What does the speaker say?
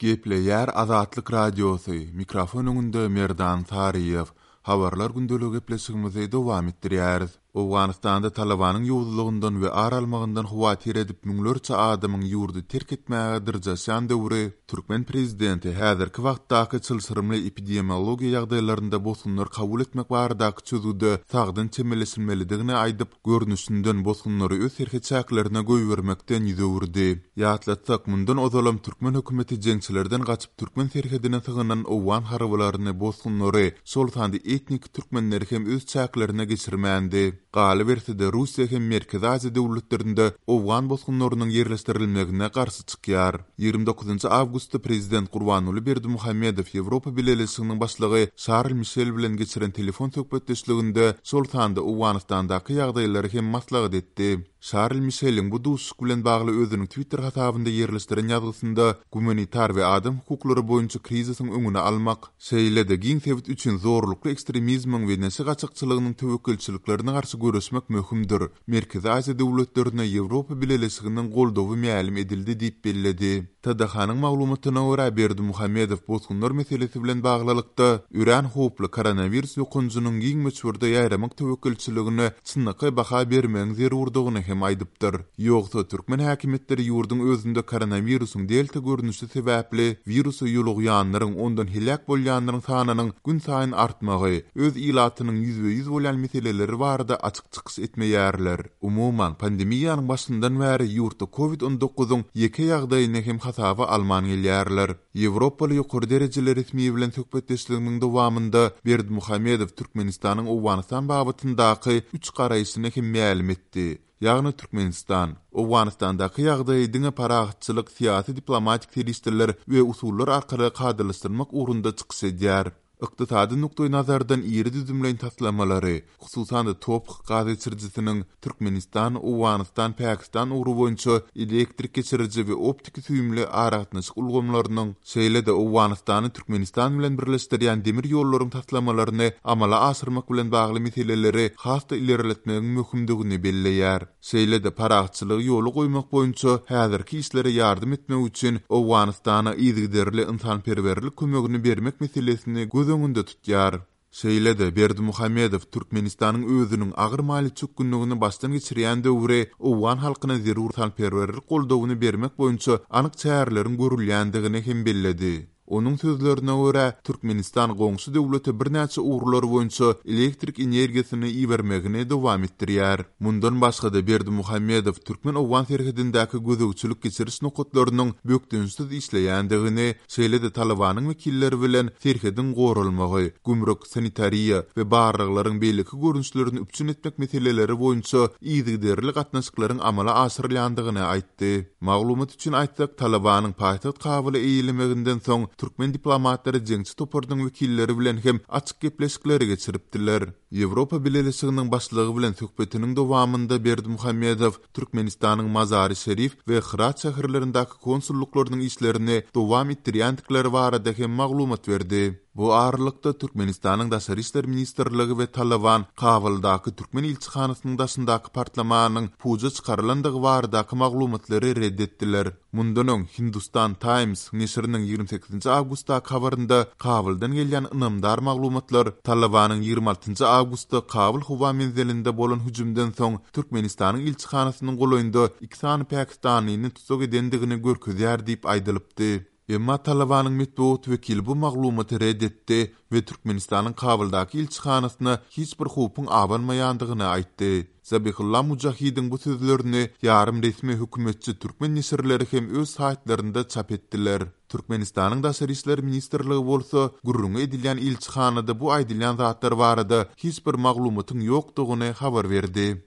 Gepleýär Azatlyk Radiosy, mikrofon öňünde Merdan Saryýew. Habarlar gündeligi gepleşigimizi dowam etdirýäris. Owganystanda Talabanyň ýowuzlygyndan we ar almagyndan howatyr edip müňlerçe adamyň ýurdy terk etmäge dyrjaşýan döwri türkmen prezidenti häzirki wagtdaky çylşyrymly epidemiologiýa ýagdaýlarynda bosgunlar kabul etmek baradaky çözgüde sagdyn çemeleşilmelidigini aýdyp, görnüşinden bosgunlary öz serhet çäklerine goýbermekden ýüz öwürdi. Ýatlatsak, mundan ozalam türkmen hökümeti jeňçilerden gaçyp türkmen serhedine sygynan owgan harbylaryny, bosgunlary, şol sanda etniki türkmenleri hem öz çäklerine geçirmändi. Galyberse-de, Russiýa hem Merkezi Aziýa döwletlerinde owgan bosgunlarynyň ýerleşdirilmegine garşy çykýar. 29 awgustda prezident Gurbanguly Berdimuhamedow Ýewropa Bileleşiginiň başlygy Şarl Mişel bilen geçiren telefon söhbetdeşliginde şol sanda Owganystandaky ýagdaýlary hem maslahat etdi. Şarl Mişeliň bu duşuşyk bilen bagly özüniň Twitter hasabynda ýerleşdiren ýazgysynda gumanitar we adam hukuklary boýunça krizisiň öňüni almak, şeýle-de giň sebit üçin zorlukly ekstremizmiň we neşe gaçakçylygynyň töwekgelçiliklerine garşy göreşmek möhümdir, Merkezi Aziýa döwletlerine Ýewropa Bileleşiginiň goldawy mälim edildi diýip belledi. TDH-nyň maglumatyna görä, Berdimuhamedow bosgunlar meselesi bilen baglylykda, örän howply koronawirus ýokanjynyň giň möçberde ýaýramak töwekgelçiligine çynlakaý baha bermegiň zerurdygyny hem aýdypdyr. Ýogsa, türkmen häkimiýetleri ýurduň özünde koronawirusyň delta görnüşi sebäpli wirusa ýolugýanlaryň, ondan heläk bolýanlaryň sanynyň günsaýyn artmagy, öz ilatynyň ýüzbe-ýüz bolýan meseleleri barada açyk çykyş etmeýärler. Umuman, pandemiýanyň başyndan bäri ýurtda covid 19-yň ýeke ýagdaýyny hem hasaba alman gelýärler. Ýewropaly ýokary derejeli resmi bilen söhbetdeşliginiň dowamynda Berdimuhamedow Türkmenistanyň Owganystan babatyndaky üç garaýşyny hem mälim etdi. Ýagny Türkmenistan, Owganystandaky ýagdaýy diňe parahatçylyk, syýasy-diplomatik serişdeler we usullar arkaly kadalaşdyrmak ugrunda çykyş edýär. Ykdysady nukdaýnazardan iri düzümleýin taslamalary, hususan-da TOPH gaz geçirijisiniň Türkmenistan, Owganystan, Pakistan ugry boýunça elektrik geçiriji we optiki süýümli aragatnaşyk ulgamlarynyň, şeýle-de Owganystany Türkmenistan bilen birleşdirýän demir ýollaryň taslamalaryny amala aşyrmak bilen bagly meseleleri has-da ilerletmegiň möhümdigini belleýär. Şeýle-de parahatçylygy ýola goýmak boýunça häzirki işlere ýardam etmek üçin Owganystana yzygiderli ynsanperwerlik kömegini bermek meselesini göz öňünde tutýar. Şeýle-de Berdimuhamedow Türkmenistanyň özüniň agyr maliýe çökgünligini başdan geçirýän döwri owgan halkyna zerur ynsanperwerlik goldawyny bermek boýunça anyk çäreleriň görülýändigini hem belledi. Onuň sözlerine görä, Türkmenistan goňşy döwlete birnäçe ugurlar boýunça elektrik energiýasyny ibermegini dowam etdirýär. Mundan başga-da, Berdimuhamedow türkmen-owgan serhedindäki gözegçilik-geçiriş nokatlarynyň bökdençsiz işleýändigini, şeýle-de Talybanyň wekilleri bilen serhediň goralmagy, gümrük, sanitariýa we barlaglaryň beýleki görnüşlerini üpjün etmek meseleleri boýunça yzygiderli gatnaşyklaryň amala aşyrylýandygyny aýtdy. Maglumat üçin aýtsak, Talybanyň paýtagt Kabuly eýelemeginden soň, türkmen diplomatlary jeňçi toparynyň wekilleri bilen hem açyk gepleşikleri geçiripdiler. Ýewropa Bileleşiginiň başlygy bilen söhbetiniň dowamynda Berdimuhamedow Türkmenistanyň Mazary-Şerif we Hyrat şäherlerindäki konsullyklarynyň işlerini dowam etdirýändikleri barada hem maglumat berdi. Bu aralykda, Türkmenistanyň Daşary işler ministrligi we Talyban Kabuldaky türkmen ilçihanasynyň daşyndaky partlamanyň puja çykarylandygy baradaky maglumatlary red etdiler. Mundan öň, Hindustan Times neşiriniň 28 awgustdaky habarynda Kabuldan gelýän ynamdar maglumatlar Talybanyň 26 awgustda Kabul howa menzilinde bolan hüjümden soň Türkmenistanyň ilçihanasynyň golaýynda iki sany pakistanlyny tussag edendigini görkezýär diýip aýdylypdy. Emma Talybanyň metbugat wekili bu maglumaty ret etdi we Türkmenistanyň Kabuldaky ilçihanasyna hiç bir howpuň abanmaýandygyny aýtdy. Zabihulla Mujahidiň bu sözlerini ýarym resmi hökümetçi türkmen neşirleri hem öz saýtlarynda çap etdiler. Türkmenistanyň Daşary işler ministrligi bolsa gürrüňi edilýän ilçihanada bu aýdylýan zatlar barada hiç bir maglumatyň ýokdugyny habar berdi.